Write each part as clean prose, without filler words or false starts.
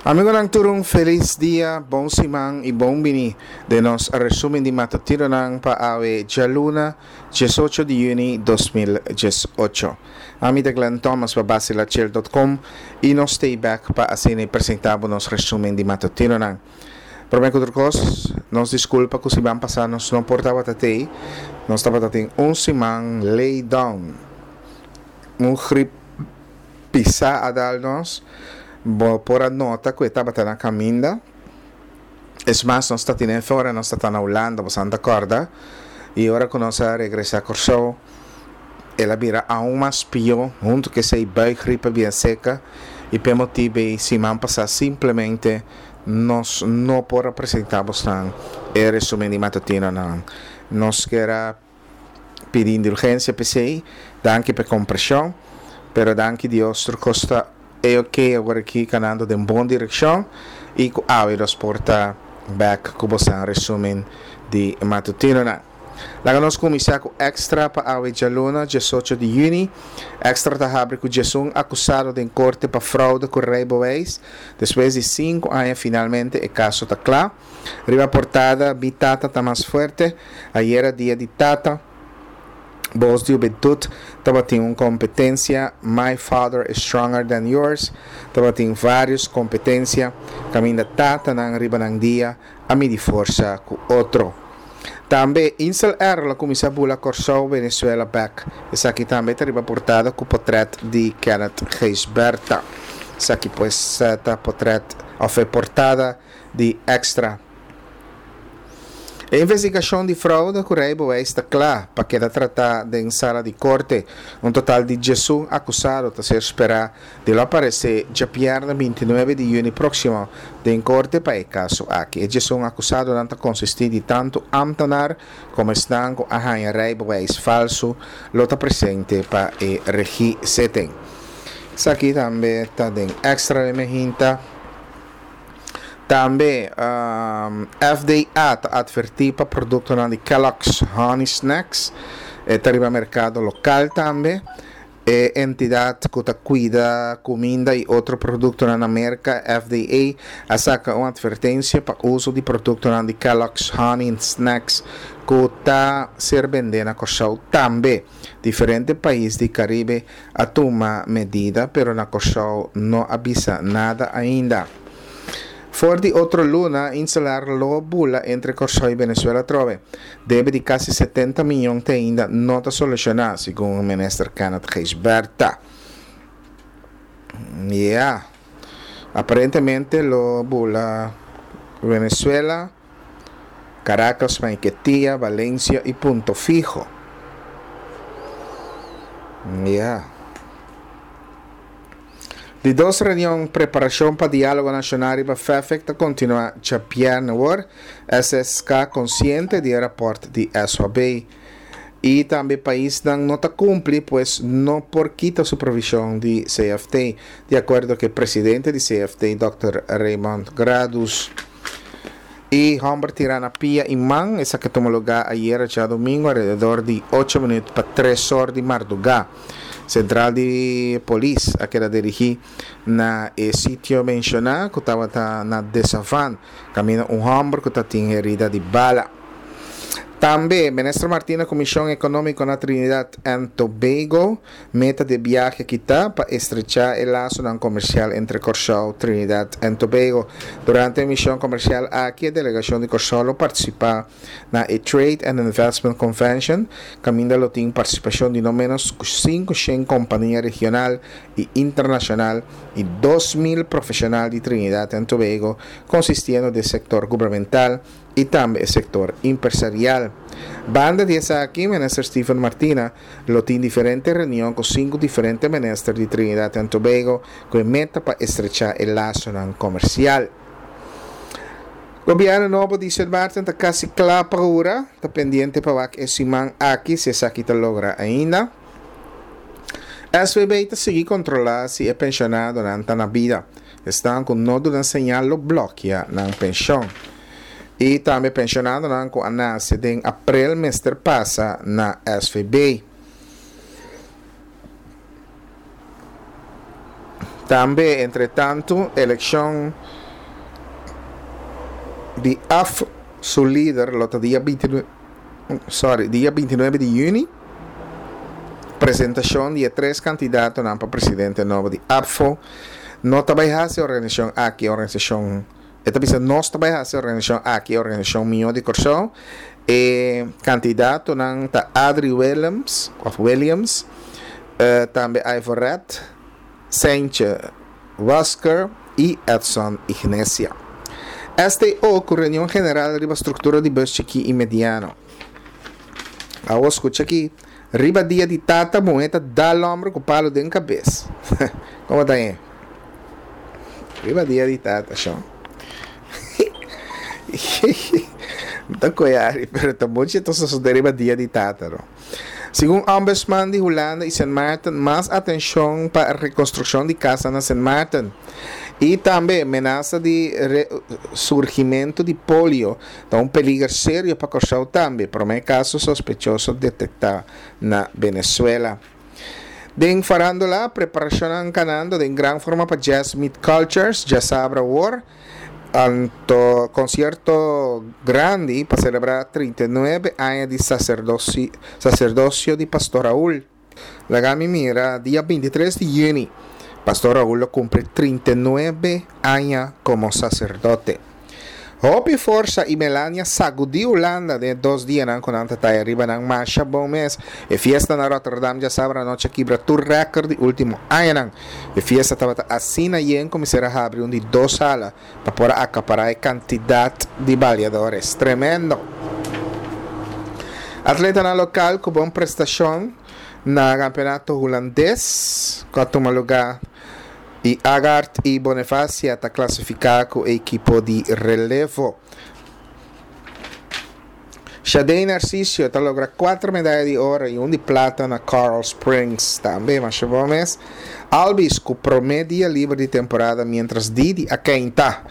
Amigonan tur un felis dia, bon siman y bon bini den nos resumen di matutironan pa awe djaluna diesocho di juni 2018. Ami ta Glenn Thomas pa Basilachel dot com y nos stay back pa asina y presenta bo nos resumen di matutironan. Prome ku tur kos, nos diskulpa ku siman pasá nos no por tabata tei, nos tabata tin un siman lay down, un grip pisá a dal nos, bo por a nota ku e tabata na kaminda, es mas nos ta tine ora nos ta ta na Hulanda, bo san ta kòrda, i ora ku nos a regresá Kòrsou el a bira aun mas pió, huntu ku esei buikgriep a bien seka, i p'e motibu ei siman pasá simplemente nos no por a presentá bosnan e resumen di matutinonan. Nos kier a pidi indulgensia p'esei, danki p'e kompreshon, pero danki Dios tur kos ta e ok awor aki kanando den bon direkshon i ku awe nos por ta bèk ku bosnan resumen di matutinonan. Laga nos kuminsá ku Extra pa awe djaluna, diesocho di yüni. Extra ta habri ku diesun akusado den korte pa froude ku reibeweis. Despues di sinku aña finalmente e kaso ta kla. Riba portada Mi tata ta mas fuerte, Ayera dia di tata, Bos di hubentut tabatin un kompetensia My father is stronger than yours. Tabatin vários kompetensia kaminda tatanan riba nan dia a midi forsa ku otro. Tambe Insel Air lo kuminsá bula Kòrsou Venezuela bèk. Esaki tambe ta riba portada ku potrèt di Kenneth Gijsbertha. Esaki pues ta potrèt òf e portada di Extra. E investigashon di froude ku reibeweis ta kla pa keda tratá den sala di korte. Un total di diesun akusado ta ser sperá di lo aparesé djabièrnè bintinuebe di yüni próksimo den korte pa e kaso aki. E diesun akusadonan ta konsistí di tantu ámtenar komo esnan ku a haña reibeweis falsu lo ta presente pa e regizetting. Esaki tambe ta den Extra den Mehinta. Tambe FDA ta atvertí pa produktonan di Kellogg's Honey Snacks. E ta riba merkado lokal tambe. E entidat ku ta kuida kuminda i otro produktonan na Merka, FDA, a saka un atvertensia pa uso di produktonan di Kellogg's Honey Snacks ku ta ser bendé na Kòrsou tambe. Diferente pais di Karibe a tuma medida pero na Kòrsou no a bisa nada ainda. For di otro luna, Insular lo bula entre Kòrsou i Venezuela atrobe. Debe di kasi setenta miyon te ainda no ta solushoná, segun Minister Kenneth Gijsbertha. Ya. Aparentemente lo bula Venezuela, Caracas, Maiquetía, Valencia i Punto Fijo. Ya. Di dos reunion preparashon pa Diálogo Nashonal riba FEFEK ta kontinuá djabièrnè awor, SSK konsiente di e rapòrt di SOAB. I tambe paisnan no ta kumpli pues no por kita supervishon di CFT, di akuerdo ku e presidente di CFT dòkter Raymond Gradus. E hòmber tirá na pia i man, esaki a tuma lugá ayera djadumingu alrededor di ocho minüt pa tres or di mardugá. Sentral di polis a keda dirigí na e sitio menshoná ku tabata na Desavan, kaminda un hòmber ku ta tin herida di bala. Tambe, Minister Martina ku mishon ekonómiko na Trinidad and Tobago, meta di e biahe aki ta pa estrechá e lasonan komersial entre Kòrsou, Trinidad and Tobago. Durante e mishon komersial aki e delegashon di Kòrsou lo partisipá na e Trade and Investment Convention, kaminda lo tin partisipashon di no ménos ku 500 kompania regional i internashonal i 2000 profeshonal di Trinidad and Tobago, konsistiendo di e sektor gubernamental i tambe e sektor impresarial. Banda di esaki, Minister Steven Martina lo tin diferente reunion ku sinku diferente minister di Trinidad and Tobago ku e meta pa estrechá e lasonan komersial. Gobièrnu nobo di Sint Maarten ta kasi kla pa hura, ta pendiente pa wak e siman aki si esaki ta logra ainda. SVB ta sigui kontrolá si e penshonadonan ta na bida. Esnan ku no duna señal lo blòkia nan penshon. I tambe penshonadonan ku a nase den aprel mester pasa na SVB. Tambe entretantu elekshon di af su lider lo ta dia binti sorry dia bintinuebe di yüni. Presentashon di e tres kandidatonan pa presidente nobo di APFO. No ta bai hasi organisashon aki organisashon e ta bisa nos ta bai hasi organisashon aki organisashon mihó di Kòrsou. E kandidatonan ta Adri Willems òf Williams, tambe Ivor Red, Seintje Wasker i Edson Ignesia. STO ku reunion general riba struktura di bus chikí i mediano. Awor skucha aki, riba dia di tata muhé ta dal hòmber ku palu den kabes. Komo ta e? Riba dia di tata, shon. Mi ta koe ari, pero ta muchu ta sosodé riba dia di tata, no. Segun Ombudsman di Hulanda i Sint Maarten, mas atenshon pa rekonstrukshon di kasnan na Sint Maarten. I tambe menasa di resurgimentu di polio ta un peliger serio pa Kòrsou tambe, promé kaso sospechoso detektá na Venezuela. Den farándula, preparashonnan kanando den gran forma pa Jazz Meet Cultures djasabra awor. Anto konsierto grandi pa selebrá 39 aña di saserdosio di Pastor Raul. Laga mi mira dia 23 di yüni Pastor Raul lo kumpli 39 aña komo saserdote. Hopi forsa i Melania sagudí Hulanda den e dos dianan ku nan ta taya riba nan masha bon mes. E fiesta na Rotterdam djasabra anochi a kibra tur rèkòrt di último añanan. E fiesta tabata asina yen ku mester a habri un di dos sala pa por a akapará e kantidat di baliadores. Tremendo! Atletanan lokal ku bon prestashon na kampeonato hulandes ku a tuma lugá I Agard i Bonefacia ta klasifiká ku e ekipo di relevo. Shadey Narcicio ta logra kuater medaya di oro i un di plata na Coral Springs. Tambe masha bon mes. Albies ku promé dia liber di temporada miéntras Didi a keinta.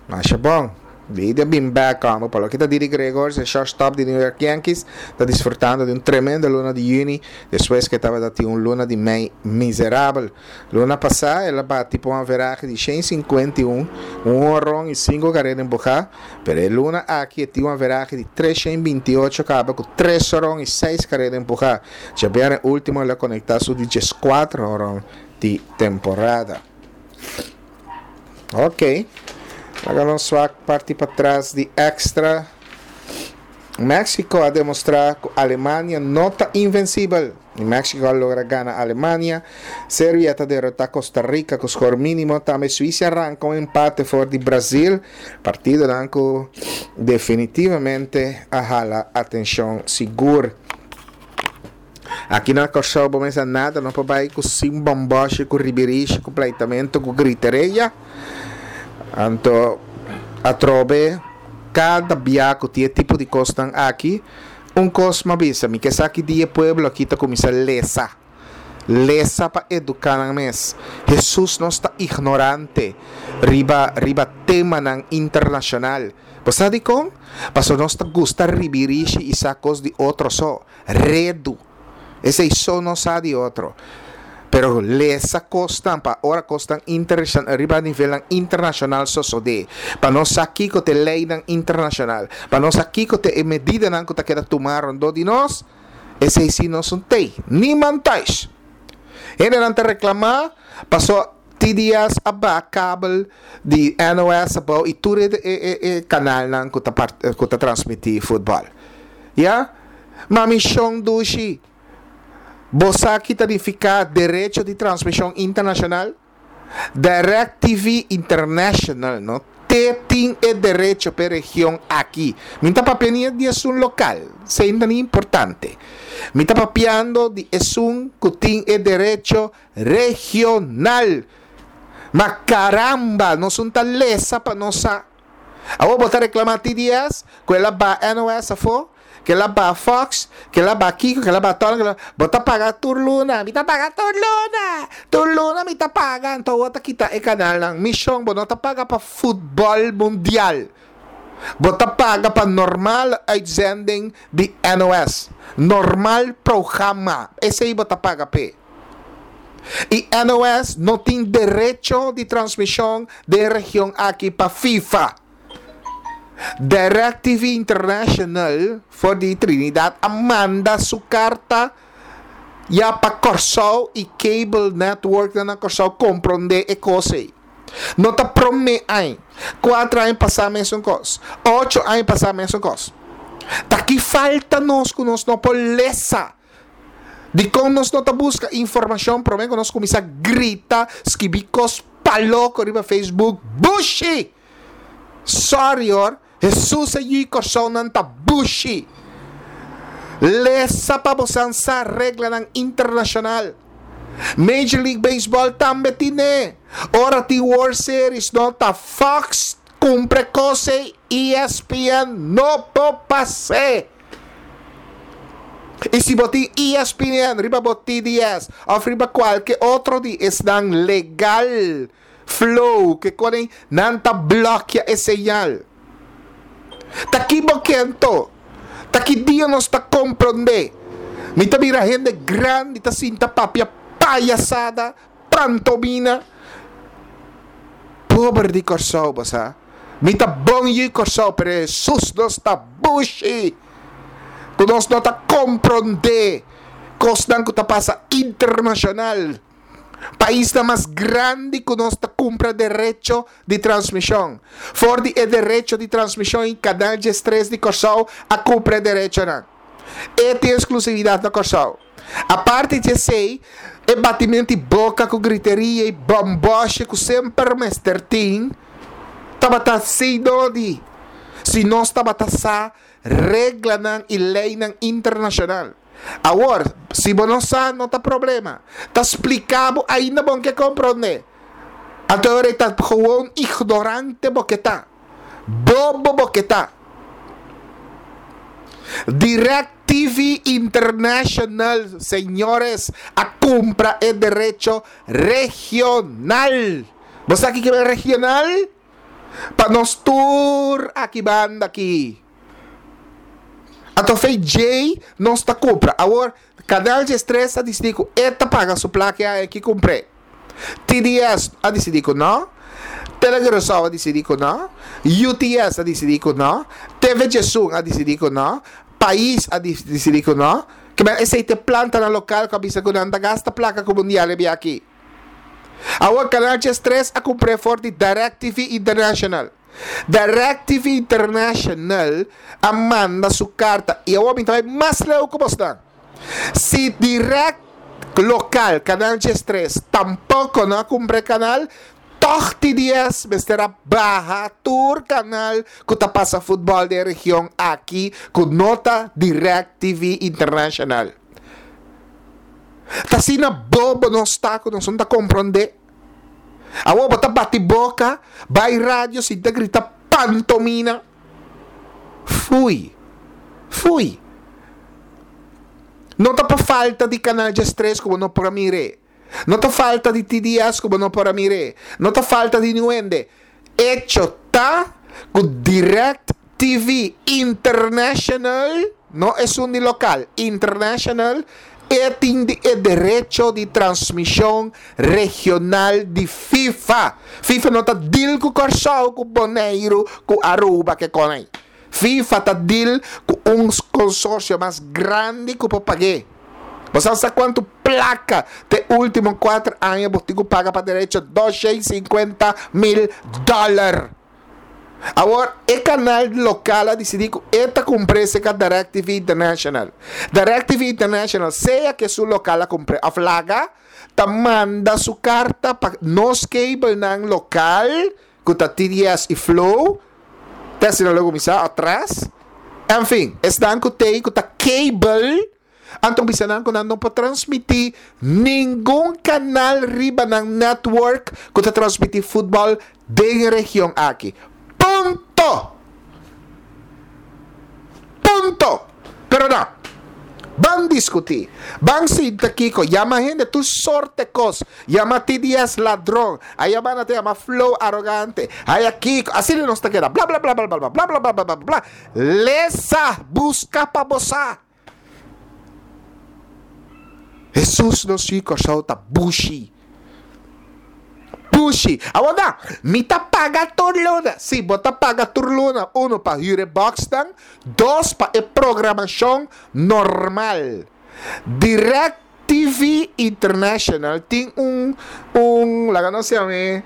Masha bon. Didi a bin bek homber. Pa loke ta Didi Gregorius, e shortstop di New York Yankees, ta disfrutando di un tremendo luna di yüni despues ku e tabata tin un luna di mei miserabel. Luna pasá el a bati pa un averahe di 151, un honron i sinku karera empuhá, pero e luna aki e tin un averahe di 328 kaba ku tres horon i seis karera empuhá. Djabièrnè último el a konektá su di dieskuater horon di temporada. Ok. Laga nos wak parti patras di extra. Mexico a demostra ku Alemania no ta invencibel. Y Mexico a logra gana Alemania. Serbia ta derrota Costa Rica ku skor mínimo. Tambe Suiza arranca un empate for di Brasil. Partidonan ku definitivamente a hala atenshon sigur. Aki na Kòrsou bo mester nada no por bai ku sin bòmbòshi, ku ribirishi, ku pleitamentu, ku griteria. Anto atrobe kada bia ku tin e tipo di kosnan aki, un kos mi a bisa, mi ke sa ki dia e pueblo aki ta kuminsá lesa. Lesa pa eduká nan mes. Hesus nos ta ignorante riba riba temanan internashonal. Bo sa dikon? Pasobra nos ta gusta ribirishi i sa kos di otro so. Redu. Esei so no sa di otro. Pero lesa kosnan pa ora kosnan riba nivelnan internashonal sosodé. Pa nos sa kiko ta e leinan internashonal. Pa nos sa kiko ta e medidanan ku ta keda tumá rondó di nos. Esei si nos no tei. Niman thuis. Hendenan ta reklamá paso TDS a baha kabel di NOS abou i tur e kanalnan ku ta transmití futbòl. Ya? Ma mishon dushi, bo sa ki ta nifiká derecho di transmishon internashonal? DirecTV International no te tin e derecho p'e region aki. Mi ta papia ni di esun lokal, esei no ta ni importante. Mi ta papiando di esun ku tin e derecho regional. Ma caramba, nos un ta lesa pa nos sa. Awor bo ta reclama TDS cu el a baha NOS afo, cu el a baha Fox, cu el a baha kico, cu el a baha tolo, cu el a Bo ta paga tur luna, mi ta paga tur luna, tur luna mi ta paga, anto awor ta kita e canalnan. Mishon, bo no ta paga pa futbol mundial. Bo ta paga pa normal uitzending di NOS. Normal programa, esey bo ta paga p'e. I NOS no tin derecho di transmishon den e region aki pa FIFA. DirecTV International for di Trinidad a manda su karta ya pa Kòrsou i cable networknan na Kòrsou komprondé e kos ei. No ta promé aña, kuater aña pasá mesun kos, ocho aña pasá mesun kos. Ta ki falta nos ku nos no por lesa? Dikon nos no ta buska informashon promé ku nos kuminsá grita, skibi kos pa loko riba Facebook? Bushi! Sorry hoor, Hesus e yui Kòrsounan ta bushi! Lesa pa bosan sa reglanan internashonal. Major League Baseball tambe tine. Ora tin World Series no ta Fox kumpra e kos ei, ESPN no por pas'é. I si bo tin ESPN riba bo TDS òf riba kualke otro di esnan legal, Flow, ke konen nan ta blòkia e señal. Ta ki bo ke anto? Ta ki dia nos ta komprondé? Mi ta mira hende grandi ta sinta papia payasada, pantomina. Pober di Kòrsou, bo sa. Mi ta bon yu Kòrsou, pero Hesus nos ta bushi ku nos no ta komprondé kosnan ku ta pasa internashonal. Paisnan mas grandi ku nos ta kumpra derecho di transmishon. For di e derecho di transmishon i Kanal diestres di Kòrsou a kumpra e derechonan. E tin eksklusividat na Kòrsou. Aparte di esei, e batimentu di boka ku griteria i bòmbòshe ku semper mester tin, tabata sido di si nos tabata sa reglanan i leinan internashonal. Awor, si bo no sa, no ta problema. Ta spliká bo ainda bon ke komprondé. Anto e ora ei ta gewoon ignorante bo ke ta. Bobo bo ke ta. DirecTV International, señores, a kumpra e derecho regional. Bo sa kiko e regional? Pa nos tur aki banda aki. Anto fe djei nos ta kumpra. Awor, Canal diestres a disidí ku e ta paga su plaka e aña aki kumpr'é. TDS a disidí ku no. Tele Curaçao a disidí ku no. UTS a disidí ku no. TV Djesun a disidí ku no. Pais a disidí ku no. Kiba esei ta e plantanan lokal ku a bisa ku nan ta gasta plaka ku mundial e bia aki. Awor Canal diestres a kumpr'é for di DirecTV International. DirecTV International a manda su karta i awor mi ta bai mas leu ku bosnan. Si Direct lokal, Canal diestres, tampoko no a kumpra e kanal, tòg TDS mester a baha tur kanal ku ta pasa futbòl den e region aki ku no ta DirecTV International. Ta asina bobo nos ta ku nos no ta komprondé. Awor bo ta bati boka, bai radio sinta grita pantomina. Fui. Fui. No ta pa falta di Canal diestres ku bo no por a mir'é. No ta falta di TDS ku bo no por a mir'é. No ta falta di niun hende. Echo ta ku Direct TV International, no esun di lokal, International, e tin di e derecho di transmishon regional di FIFA. FIFA no ta deal ku Kòrsou, ku Boneiru, ku Aruba ke kon ei. FIFA ta deal ku un konsorsio mas grandi ku por pag'é. Bo sa sa kuantu plaka te último kuater aña bo tin ku paga pa derecho? 250 mil dòler. Awor, e kanal lokal a disidí ku e ta kumpr'é serka DirecTV International. DirecTV International, sea ku esun lokal a kumpr'é òf laga, ta manda su karta pa nos kabelnan lokal, ku ta TDS i Flow, te asina lo kuminsá atras. Enfin, esnan ku t'ei ku ta kabel, anto bisa nan ku nan no por transmití ningun kanal riba nan network ku ta transmití futbòl den e region aki. Punto! Punto! Pero no. Ban diskutí. Ban sinta kiko. Yama hende tur sorte kos. Yama TDS ladron. A yama nan ta yama Flow arogante. Haya kiko. Asina nos ta keda. Bla bla bla bla bla bla bla bla bla bla bla. Lesa! Buska pa bo sa. Hesus nos yu Kòrsou ta bushi. Bushi. Awor nan, mi ta paga tur luna. Si, bo ta paga tur luna, uno pa hür e bòksnan, dos pa e programashon normal. Direct TV International tin un, un, laga nos yam'é,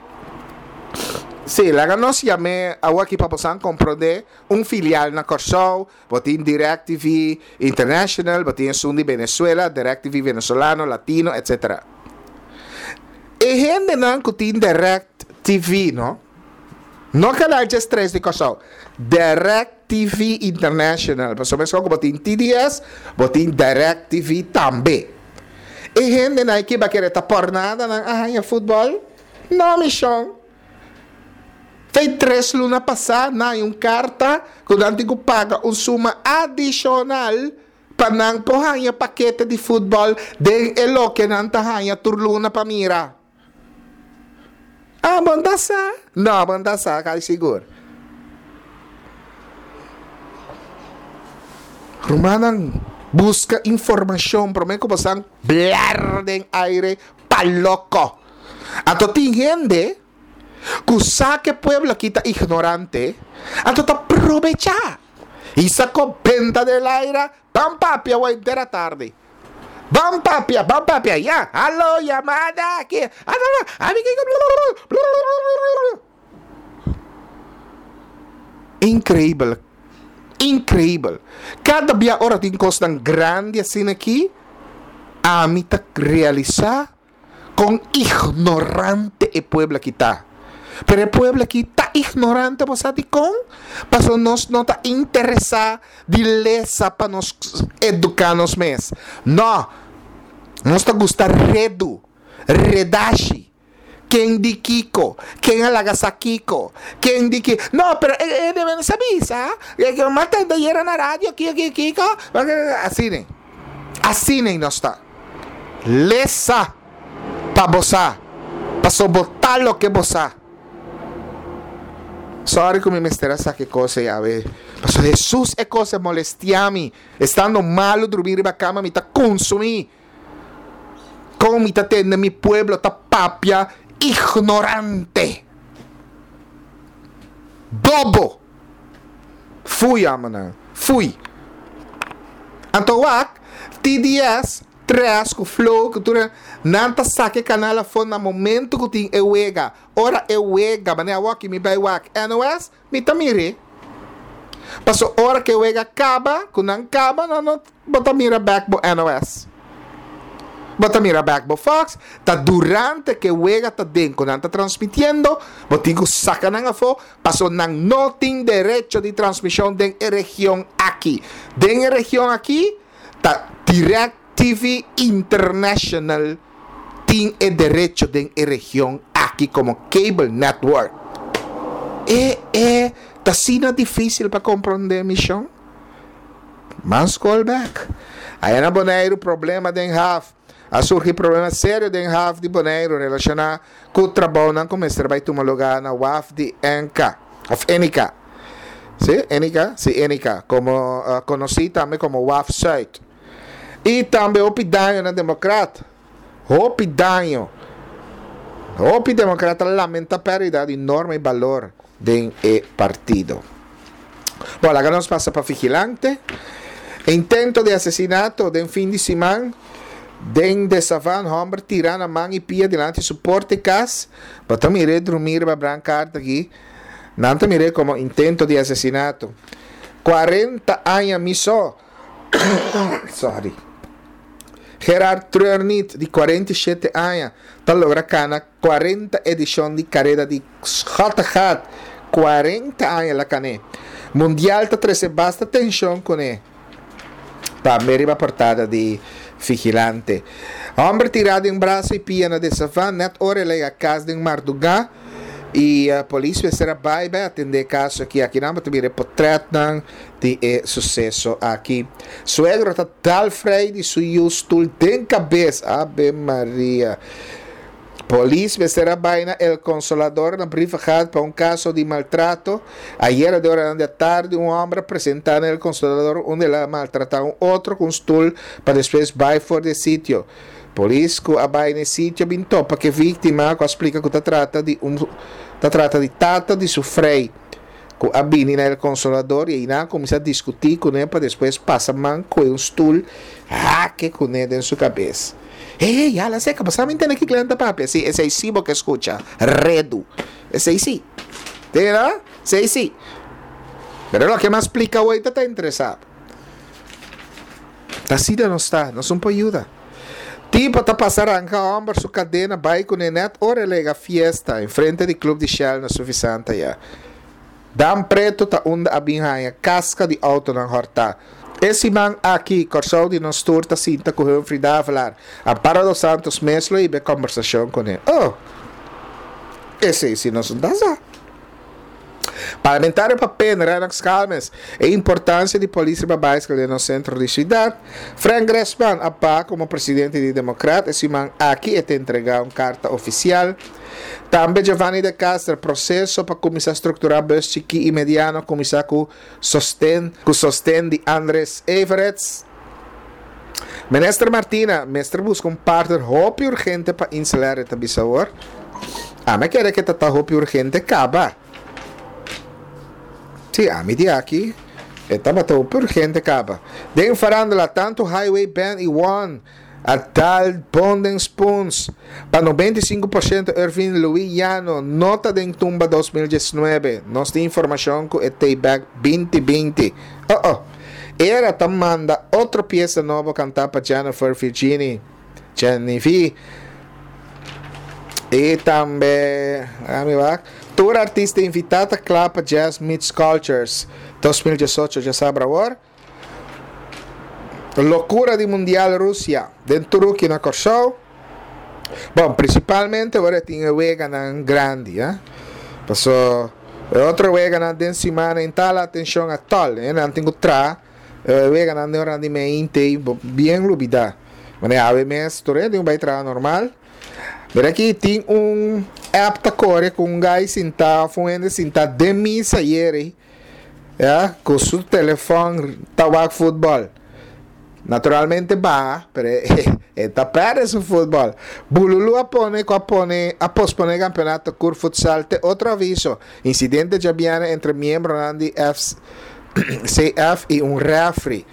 sí, laga nos yam'é awor aki pa bosan komprondé, un filial na Kòrsou, Bo tin DirecTV International, bo tin esun di Venezuela, DirecTV Venezolano, Latino, etc. E hendenan ku tin DirecTV, no? No Canal 13 di Kòrsou, DirecTV International, pasobra meskos ku bo tin TDS, bo tin DirecTV tambe. E hendenan aki ba kere ta pòrnada nan a haña futbòl? No, mi shon. Fei tres luna pasá nan hay un karta ku nan tin ku paga un suma adishonal pa nan por haña pakete di futbòl den e loke nan ta haña tur luna pa mira. Ah, bo no ta sa? No, bo no ta sa, kai sigur. Rumannan, buska informashon promé ku bo san blar den aire pa loko. Anto tin hende ku sa ku e pueblo aki ta ignorante, anto ta probechá i sa ku benta den laira, ban papia awor henter atardi. Ban papia, ban papia, ya, alo, yamada aki, Inkreibel, inkreibel. Kada bia ora tin kosnan grandi asina aki, ami ta realisá Kon ignorante e pueblo aki ta. Pero e pueblo aki ta ignorante bo sa dikon? Pasobra nos no ta interesá di lesa pa nos eduká nos mes. No! Nos ta gusta redu, redashi. Ken di kiko? Ken a laga sa kiko? Ken di ki? No, pero e debe sa bisa. M'a tende ayera na radio kiko kiko kiko. Asina. Asina nos ta. Lesa pa bo sa, paso bo ta loke bo sa. Sorry ku mi mester a saka e kos ei awe, paso Hesus e kos a molestia mi. Estando malu drumí riba kama mi ta konsumí. Kon mi ta tende mi pueblo ta papia ignorante. Bobo! Fui amanan, fui. Anto wak, TDS, Tres ku Flow ku tur e, nan ta saka e kanal afó na momento ku tin e wega. Ora e wega, manera awor ki mi bai wak NOS, mi ta mir'é. Paso ora ku e wega kaba, ku nan kaba, nan no bo ta mira bèk bo NOS. Bo ta mira bèk bo Fox, ta durante ku e wega ta den ku nan ta transmitiendo, bo tin ku saka nan afó, paso nan no tin derecho di transmishon den e region aki. Den e region aki ta Direct TV International tin e derecho den e region aki komo cable network. E e ta asina difísil pa komprondé mi shon? Ban skol bek. Aya na Boneiru problema den haf. A surgi problema serio den haf di Boneiru relashoná ku trabounan ku mester bai tuma lugá na waf di Enka òf Enika. Sí, Enika? Sí, Enika, komo konosí tambe komo Waf Zuid. I tambe hopi daño na Demokrat. Hopi daño. Hopi Demokrat ta lamenta pèrdida di norma i balor den e partido. Bon, laga nos pasa pa Vigilante. Intento di asesinato den fin di siman den De Savan, homber tira na man y pia dilanti su porta y cas. Bo ta mir'é drumí riba brancard aki. Nan ta mir'é como intento di asesinato. Cuarenta aña mi so. Sorry. Gerard Treurniet di 47 aña ta logra cana 40 edishon di kareda di Schottegat, 40 aña el a kané. Mundial ta trese basta tenshon kuné. Tambe riba portada di Vigilante. Hòmber tirá den brasa i pia na Desavan nèt ora el a yega kas den mardugá i polis mester a bai bai atendé e kaso aki. Akinan bo ta mira e potrètnan di e suseso aki. Suegro ta dal frei di su yu stul den kabes. Ave Maria. Polis mester a bai na El Consolador na Brievengat pa un kaso di maltrato. Ayera den oranan di atardi un hòmber a presentá na El Consolador unda el a maltratá un otro ku un stul pa despues bai for di e sitio. Polis ku a bai na e sitio bin topa ku e víktima ku a splika ku ta trata di un ta trata di tata di su frei ku a bini na El Consolador i einan a kuminsá diskutí kuné pa despues pasa man koe un stul hake kuné den su kabes. Hey, hey, hala seka, bo sa mi ntende ki Glen ta papia? Sí, esei sí bo ke skucha, redu. Esei sí. Tende no? Esei sí. Pero loke mi a splika awor ta ta interesá. Ta asina nos ta, nos un por yuda. Tipo ta pasa ranka homber su kadena bai kuné nèt ora el lega fiesta enfrente di Club di Shell na Suffisant aya. Dam Preto ta unda a bin haña kaska di outonan hòrtá. E siman aki, Kòrsou di Nos Tur ta sinta ku Humphrey Davelaar. Amparo dos Santos mes lo hiba e kòmbersashon kuné. Oh! Esei si nos no ta sa. Parlamentario pa pen, Rennox Calmes, e importancia di polis riba baiskel den nos centro di ciudad. Frank Gressman a baha como presidente di Democrat, e siman aki e ta entrega un carta oficial. Tambe Giovanni de Castro, proceso pa cuminsa structura bus chiki y mediano a cuminsa cu sosten cu sosten di Andres Everets. Minister Martina mester busca un partner hopi urgente pa Inselair e ta bisa awor. Ami a kere ke ta ta hopi urgente kaba. Si, ami di aki e tabata hopi urgente kaba. Den farandula tantu Highway Band i One a dal bon den spoons. Pa 95% Irvin Louis Llano no ta den tumba 2019. Nos tin informashon ku e tei bek 2020. Oh oh. Era ta manda otro piesa nobo kantá pa Jennifer Virginie, Jenny V. I tambe, ami wak, tur artista invitá ta kla pa Jazz Meets Cultures 2018 djasabra awor. Lokura di Mundial Rusia den Turuki na Kòrsou. Bon, prinsipalmente ora tin e weganan grandi, eh. Paso e otro weganan den simana en tal atenshon atòl, eh, nan tin ku traha e weganan den ora di meinte bien lubidá. Manera awe mes tur hende tin ku bai traha normal. Mira aki tin un app ta kore ku un guy sintá òf un hende sintá den misa ayeri. Ya, ku su telefòn ta wak futbòl. Naturalmente baha, pero e ta pèrdè su futbòl. Bululu a pone ku a pone a posponé kampeonato Cur Futsal te otro aviso. Insidente djabièrnè entre miembronan di FCF i un rèfri.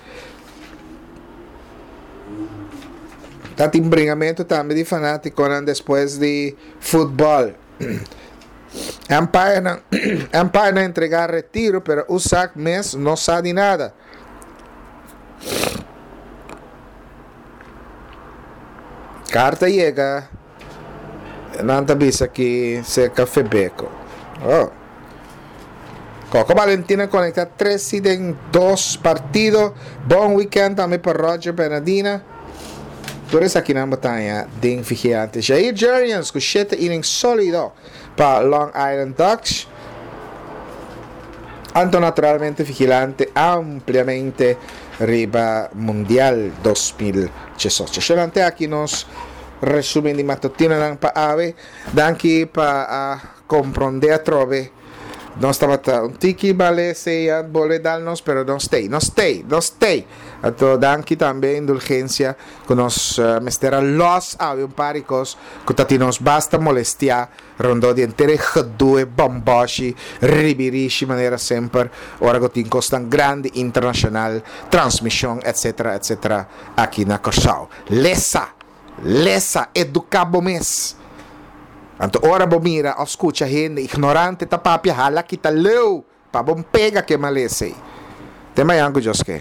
Ta tin bringamentu tambe di fanátikonan despues di futbòl. Empire Empire na entrega retiro pero Usak mes no sa di nada. Carta yega nan ta bisa ki cerca Febeco. Oh. Coco Valentina conecta tres y den dos partido. Bon weekend tambe pa Roger Bernadina. Tur esakinan bo ta haña den Vigilante. Jair Jurrjens ku shete inning solido pa Long Island Ducks. Anto naturalmente Vigilante ampliamente riba Mundial 2018. Shelante aki nos resumen di matutinonan pa awe. Danki pa a kompronde atrobe. Nos tabata un tiki bale sea bolbe dal nos pero nos stay, nos stay, nos stay. Anto danki tambe indulgencia cu nos mester a los awe un par di cos cu ta tin nos basta molestia rondó di henter e gedoe bomboshi ribirishi manera semper ora cu tin cosnan grandi internacional transmision etc etc aki na Corsou. Lesa! Lesa, eduká bo mes. Anto ora bo mira òf skucha hende ignorante ta papia, hala kita leu pa bo pega ke malesa ei. Te mañan ku Dios ke.